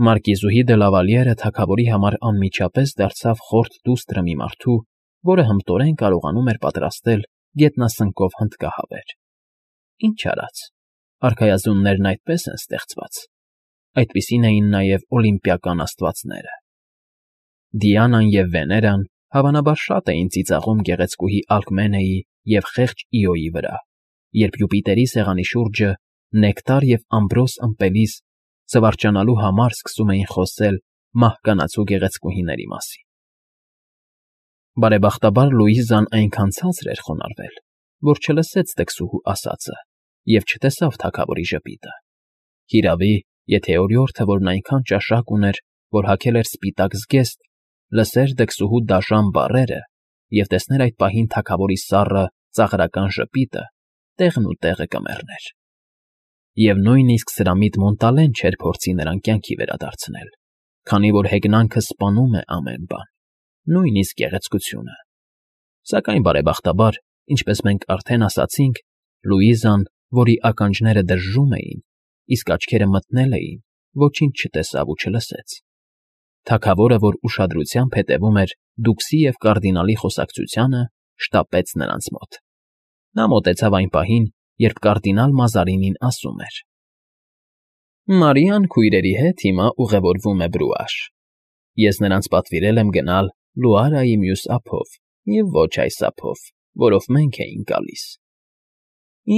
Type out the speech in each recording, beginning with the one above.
Մարկիզուհի դե Լավալիերը թագավորի համար անմիջապես դարձավ խորթ դուստրը մի մարդու, որը հմտորեն կարողանում էր պատրաստել գետնասնկով հնդկահավեր։ Ինչ արած, արքայազուններն այդպես են ստեղծված, այդպիսին էին նաև օլիմպիական աստվածները։ Դիանան և Վեներան հավանաբար շատ էին ծիծաղում գեղեցկուհի Ալկմենեի և խեղճ Իոյի վրա, երբ Յուպիտերի սեղանի շուրջը նեկտար և ամբրոս ըմպելիս զվարճանալու համար սկսում էին խոսել մահկանացու գեղեցկուհիների մասին։ Բարեբախտաբար Լուիզան այնքան ցածր էր խոնարհվել, որ չլսեց տքսուհու ասածը և չտեսավ թագավորի ժպիտը։ Հիրավի, եթե օրիորդը, որն այնքան ճաշակ ուներ, որ հագել էր սպիտակ զգեստ, լսեր դքսուհու դաժան բառերը և տեսներ այդ պահին թագավորի սառը, ծաղրական ժպիտը, տեղն ու տեղը կմեռներ։ Եվ նույնիսկ սրամիտ Մոնտալեն չէր փորձի նրան կյանքի վերադարձնել, քանի որ հեգնանքը սպանում է ամեն բան, նույնիսկ գեղեցկությունը։ Սակայն, բարեբախտաբար, ինչպես մենք արդեն ասացինք, Լուիզան, որի ականջները դժժում էին, իսկ աչքերը մթնել էին, ոչինչ չտեսավ ու չլսեց։ Թագավորը, որ ուշադրությամբ հետևում էր դուքսի և կարդինալի խոսակցությանը, շտապեց նրանց մոտ։ Նա մոտեցավ այն պահին, երբ կարդինալ Մազարինին ասում էր. «Մարիան քույրերի հետ հիմա ուղևորվում է Բրուաշ։ Ես նրանց պատվիրել եմ գնալ Լուարայի մյուս ափով և ոչ այս ափով, որով մենք էինք գալիս։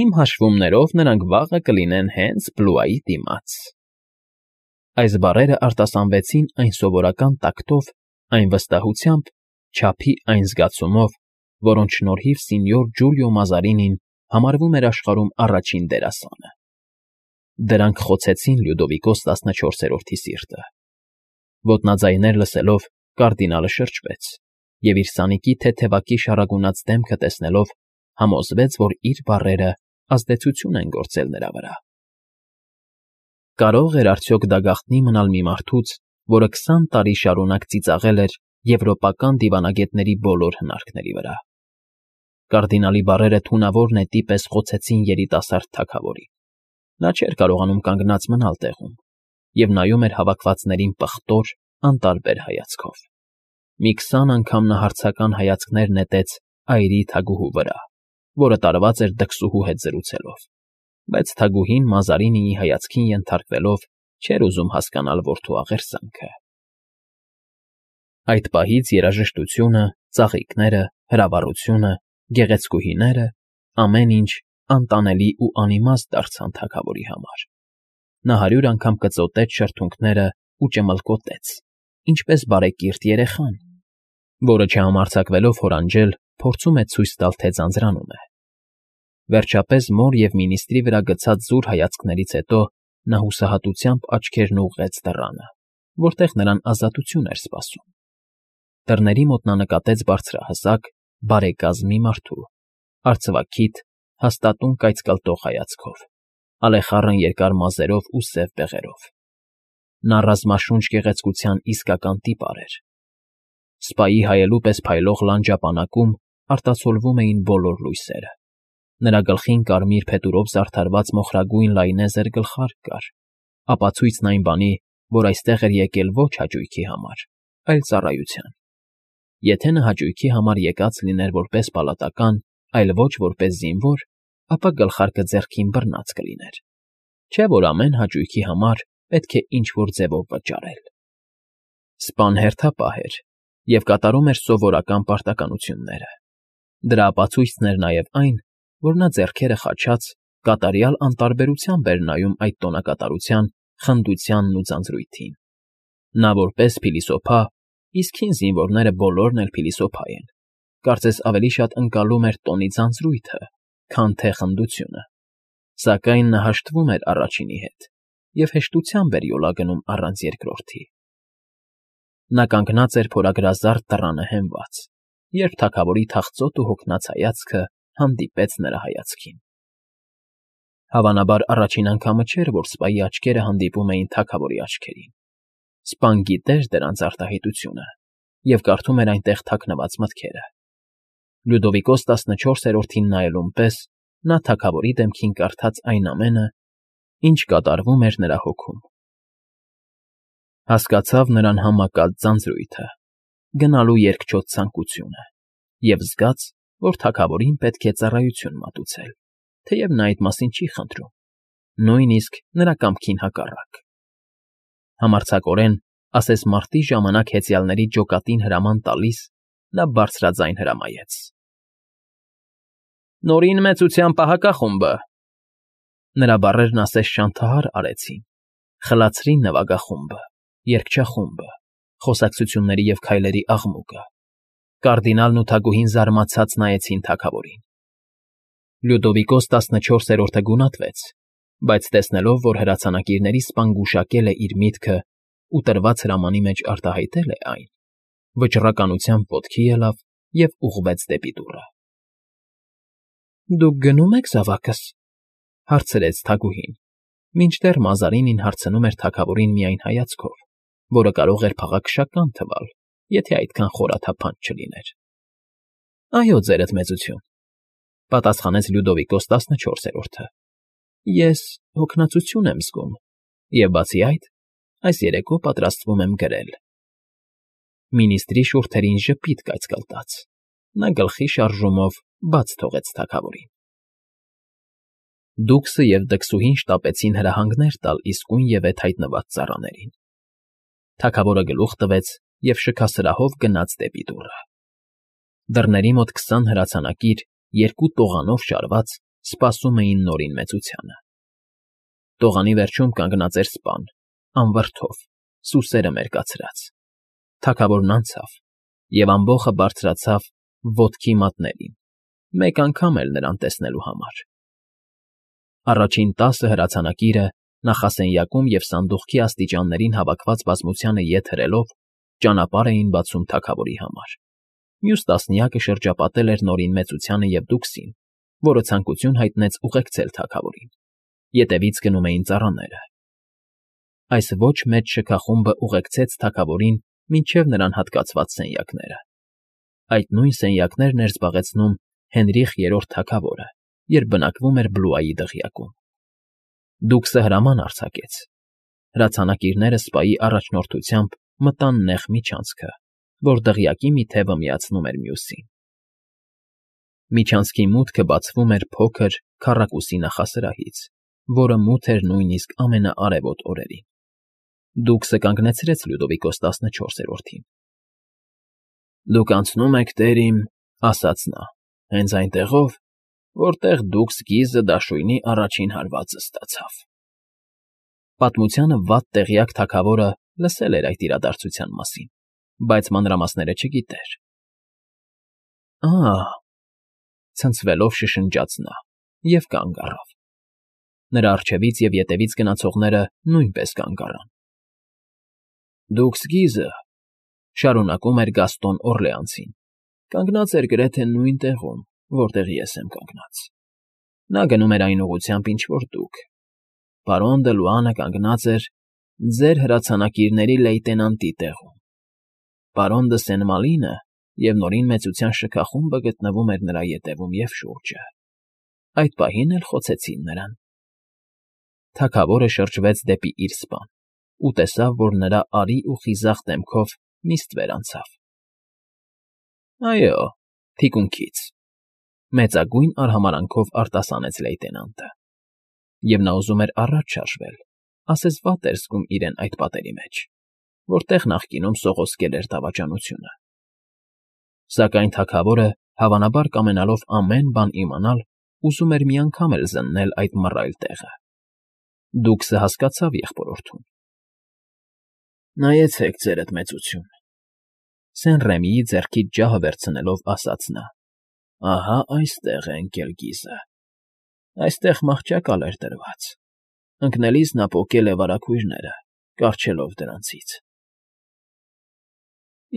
Իմ հաշվումներով նրանք վաղը կլինեն հենց Բլուայի դիմաց»։ Այս բառերը արտասանվեցին այն սովորական տակտով, այն վստահությամբ, չափի այն զգացումով, որոնց շնորհիվ սենյոր Ջուլիո Մազարինին համարվում էր աշխարհում առաջին դերասանը։ Դրանք խոցեցին Լյուդովիկոս 14-րդի սիրտը։ Ոտնաձայներ լսելով կարդինալը շրջվեց և իր սանիկի թեթևակի շարագունած դեմքը տեսնելով համոզվեց, որ իր բառերը ազդեցություն են գործել նրա վրա։ Կարող էր արդյոք դա գաղտնի մնալ մի մարդուց, որը 20 տարի շարունակ ծիծաղել էր եվրոպական դիվանագետների բոլոր հնարքների վրա։ Կարդինալի բառերը թունավոր նետի պես խոցեցին երիտասարդ թագավորին։ Նա չէր կարողանում կանգնած մնալ տեղում և նայում էր հավաքվածներին պղտոր, անտարբեր հայացքով։ Մի 20 անգամ նա հարցական հայացքներ նետեց այրի թագուհու վրա, որը տարված էր դքսուհու հետ զրուցելով, բայց թագուհին Մազարինիի հայացքին ենթարկվելով չէր ուզում հասկանալ որդու աղերսանքը։ Այդ պահից երաժշտությունը, ծաղիկները, հրավառությունը, գեղեցկուհիները, ամեն ինչ անտանելի ու անիմաստ դարձան թագավորի համար։ Նա 100 անգամ կծոտեց շրթունքները ու ճմլկոտեց, ինչպես բարեկիրթ երեխան, որը չհամարձակվելով հորանջել, փորձում է ցույց տալ, թե ձանձրանում է։ Վերջապես մոր և մինիստրի վրա գցած զուր հայացքներից հետո նա հուսահատությամբ աչքերն ուղղեց դռանը, որտեղ նրան ազատություն էր սպասում։ Դռների մոտ նա նկատեց բարձրահասակ, բարեկազմ մի մարդու, արծվաքիթ, հաստատուն կայծկլտող հայացքով, ալեխառն երկար մազերով ու սև բեղերով։ Նա ռազմաշունչ գեղեցկության իսկական տիպար էր։ Սպայի հայելու պես փայլող լանջապանակում արտացոլվում էին բոլոր լույսերը։ Նրա գլխին կարմիր փետուրով զարդարված մոխրագույն լայնեզր գլխարկ կար, ապացույցն այն բանի, որ այստեղ էր եկել ոչ հաճույքի համար, այլ ծառայության։ Եթե նա հաճույքի համար եկած լիներ որպես պալատական, այլ ոչ որպես զինվոր, ապա գլխարկը ձեռքին բռնած կլիներ, չէ՞ որ ամեն հաճույքի համար պետք է ինչ֊որ ձևով վճարել։ Սպան հերթապահ էր և կատարում էր սովորական պարտականությունները։ Դրա ապացույցն էր նաև այն, որ նա ձեռքերը խաչած կատարյալ անտարբերությամբ էր նայում այդ տոնակատարության, խնդությանն ու ձանձրույթին։ Նա որպես փիլիսոփա, իսկ հին զինվորները բոլորն էլ փիլիսոփա են, կարծես ավելի շատ ընկալում էր տոնի ձանձրույթը, քան թե խնդությունը, սակայն նա հաշտվում էր առաջինի հետ և հեշտությամբ էր յոլա գնում առանց երկրորդի։ Նա կանգնած էր փորագրազարդ դռանը հենված, երբ թագավորի թախծոտ ու հոգնած հայացքը հանդիպեց նրա հայացքին։ Հավանաբար առաջին անգամը չէր, որ սպայի աչքերը հանդիպում էին թագավորի աչքերին։ Սպան գիտեր դրանց արտահայտությունը և կարդում էր այնտեղ թաքնված մտքերը։ Լյուդովիկոս 14-րդին նայելուն պես նա թագավորի դեմքին կարդաց այն ամենը, ինչ կատարվում էր նրա հոգում։ Հասկացավ նրան համակած ձանձրույթը, գնալու երկչոտ ցանկությունը և զգաց, որ թագավորին պետք է ծառայություն մատուցել, թեև նա այդ մասին չի խնդրում, նույնիսկ նրա կամքին հակառակ։ Համարձակորեն, ասես մարտի ժամանակ հեծյալների ջոկատին հրաման տալիս, նա բարձրաձայն հրամայեց. «Նորին մեծության պահակախումբը»։ Նրա բառերն ասես շանթահար արեցին, խլացրին նվագախումբը, երգչախումբը, խոսակցությունների և քայլերի աղմուկը։ Կարդինալն ու թագուհին զարմացած նայեցին թագավորին։ Լյուդովիկոս 14-րդը գունատվեց, բայց տեսնելով, որ հրացանակիրների սպան գուշակել է իր միտքը ու տրված հրամանի մեջ արտահայտել է այն, վճռականությամբ ոտքի ելավ և ուղղվեց դեպի դուռը։ «Դուք գնո՞ւմ եք զավակս,֊ հարցրեց թագուհին, մինչդեռ Մազարինին հարցնում էր թագավորին միայն հայացքով, որը կարող էր փաղաքշական թվալ, եթե այդքան խորաթափանց չլիներ։ ֊ Այո, ձերդ մեծություն,֊ պատասխանեց Լյուդովիկոս 14-րդը։ Ես հոգնածություն եմ զգում և, բացի այդ, այս երեկո պատրաստվում եմ գրել։ Մինիստրի շուրթերին ժպիտ կայծկլտաց, նա գլխի շարժումով բաց թողեց թագավորին։ Դուքսը և դքսուհին շտապեցին հրահանգներ տալ իսկույնևեթ հայտնված ծառաներին։ Թագավորը գլուխ տվեց և շքասրահով գնաց դեպի դուռը։ Դռների մոտ 20 հրացանակիր, երկու տողանով շարված, սպասում էին Նորին Մեծությանը։ Տողանի վերջում կանգնած էր սպան, անվրդով, սուսերը մերկացրած։ Թագավորն անցավ և ամբոխը բարձրացավ ոտքի մատներին, մեկ անգամ էլ նրան տեսնելու համար։ Առաջին 10 հրացանակիրը նախասենյակում և սանդուղքի աստիճաններին հավաքված բազմությանը ետ հրելով ճանապարհ էին բացում թագավորի համար։ Մյուս տասնյակը շրջապատել էր Նորին Մեծությանը և Դուքսին, որը ցանկություն հայտնեց ուղեկցել թագավորին։ Ետևից գնում էին ծառաները։ Այս ոչ մեծ շքախումբը ուղեկցեց թագավորին մինչև նրան հատկացված սենյակները։ Այդ նույն սենյակներն էր զբաղեցնում Հենրիխ III թագավորը, երբ բնակվում էր Բլուայի դղյակում։ Դուքսը հրաման արձակեց։ Հրացանակիրները սպայի առաջնորդությամբ մտան նեղ միջանցքը, որ դղյակի մի թևը միացնում էր մյուսին։ Միջանցքի մուտքը բացվում էր փոքր, քառակուսի նախասրահից, որը մութ էր նույնիսկ ամենաարևոտ օրերին։ Դուքսը կանգնեցրեց Լյուդովիկոս 14-րդին։ «Դուք անցնում եք, տեր իմ,֊ ասաց նա,֊ հենց այնտեղով, որտեղ Դուքս Գիզը դաշույնի առաջին հարվածը ստացավ»։ Պատմությանը վատ տեղյակ թագավորը լսել էր այդ իրադարձության մասին, բայց մանրամասները չգիտեր։ «Ա՜,֊ ցնցվելով շշնջաց նա և կանգ առավ։ Նրա առջևից և ետևից գնացողները նույնպես կանգ առան։ Դուքս Գիզը,֊ շարունակում էր Գաստոն Օռլեանցին,֊ կանգնած էր գրեթե նույն տեղում, որտեղ ես եմ կանգնած։ Նա գնում էր այն ուղղությամբ, ինչ որ դուք։ Պարոն Դը Լուանը կանգնած էր ձեր հրացանակիրների լեյտենանտի տեղում։ Պարոն Դը Սենմալինը և Նորին Մեծության շքախումբը գտնվում էր նրա ետևում և շուրջը։ Այդ պահին էլ խոցեցին նրան։ Թագավորը շրջվեց դեպի իր սպան ու տեսավ, որ նրա արի ու խիզախ դեմքով նիստ վերանցավ։ Այո, թիկունքից,֊ մեծագույն արհամարհանքով արտասանեց լեյտենանտը։ Եվ նա ուզում էր առաջ շարժվել, ասես վատ էր զգում իրեն այդ պատերի մեջ, որտեղ նախկինում սողոսկել էր դավաճանությունը։ Սակայն թագավորը, հավանաբար կամենալով ամեն բան իմանալ, ուզում էր մի անգամ էլ զննել այդ մռայլ տեղը։ Դուքսը հասկացավ եղբորորդուն։ «Նայեցեք, ձերդ մեծություն,֊ Սեն Ռեմիի ձեռքից ջահը վերցնելով ասաց նա,֊ ահա այստեղ է ընկել Գիզը։ Այստեղ մահճակալ էր դրված։ Ընկնելիս նա պոկել է վարագույրները, կառչելով դրանցից»։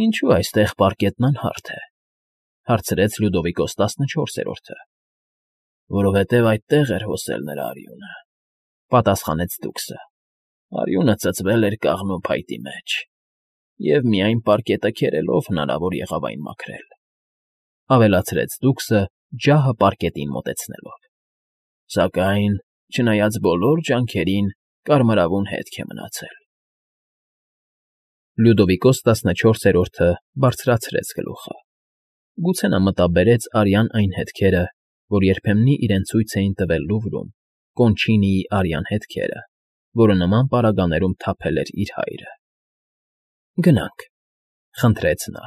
«Ինչո՞ւ այստեղ պարկետն անհարթ է,֊ հարցրեց Լյուդովիկոս 14-րդը։ «Որովհետև այդտեղ էր հոսել նրա արյունը,֊ պատասխանեց Դուքսը։ Արյունը ծծվել էր կաղնու փայտի մեջ, և միայն պարկետը քերելով հնարավոր եղավ այն մաքրել,֊ ավելացրեց Դուքսը՝ ջահը պարկետին մոտեցնելով։ Սակայն, չնայած բոլոր ջանքերին, կարմրավուն հետք է մնացել»։ Լյուդովիկոս 14-րդը բարձրացրեց գլուխը։ Գուցե նա մտաբերեց արյան այն հետքերը, որ երբեմնի իրեն ցույց էին տվել Լուվրում, Կոնչինիի արյան հետքերը, որը նման պարագաներում թափել էր իր հայրը։ «Գնանք,֊ խնդրեց նա։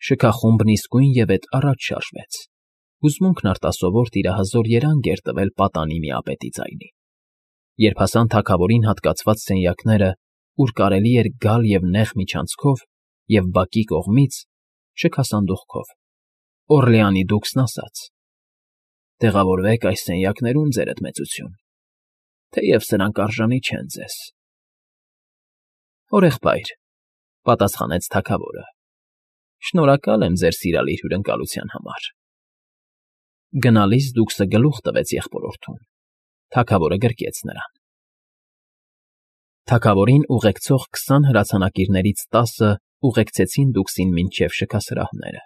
Շքախումբն իսկույնևեթ առաջ շարժվեց։ Հուզմունքն արտասովոր տիրահզոր երանգ էր տվել պատանի միապետի ձայնին։ Երբ հասան թագավորին հատկացված սենյակները, ուր կարելի էր գալ և նեղ միջանցքով, և բակի կողմից, շքասանդուղքով, Օռլեանի դուքսն ասաց. «Տեղավորվեք այս սենյակներում, ձերդ մեծություն, թեև սրանք արժանի չեն ձեզ»։ «Օրեղբայր,֊ պատասխանեց թագավորը,֊ շնորհակալ եմ ձեր սիրալիր հյուրընկալության համար»։ Գնալիս դուքսը գլուխ տվեց եղբորորդուն։ Թագավորը գրկեց նրան։ Թագավորին ուղեկցող 20 հրացանակիրներից 10-ը ուղեկցեցին դուքսին մինչև շքասրահները,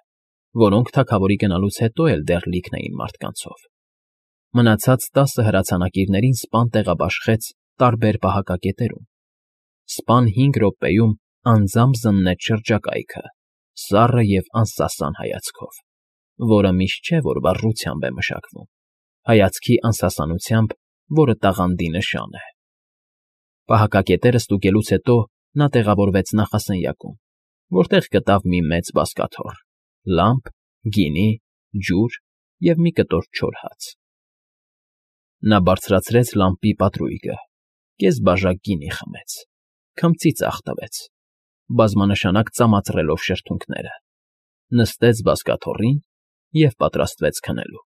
որոնք թագավորի գնալուց հետո էլ դեռ լիքն էին մարդկանցով։ Մնացած 10 հրացանակիրներին սպան տեղաբաշխեց տարբեր պահակակետերում։ Սպան 5 րոպեում անձամբ զննեց շրջակայքը, սառը և անսասան հայացքով, որը միշտ չէ, որ վառությամբ է մշակվում, հայացքի անսասանությամբ, որը տաղանդի նշան է։ Պահակակետերը ստուգելուց հետո նա տեղավորվեց նախասենյակում, որտեղ գտավ մի մեծ բազկաթոռ, լամպ, գինի, ջուր և մի կտոր չոր հաց։ Նա բարձրացրեց լամպի պատրույգը, կես բաժակ գինի խմեց, քմծի ծախ տվեց, բազմանշանակ ծամածռելով շրթունքները, նստեց բազկաթոռին և պատրաստվեց քնելու։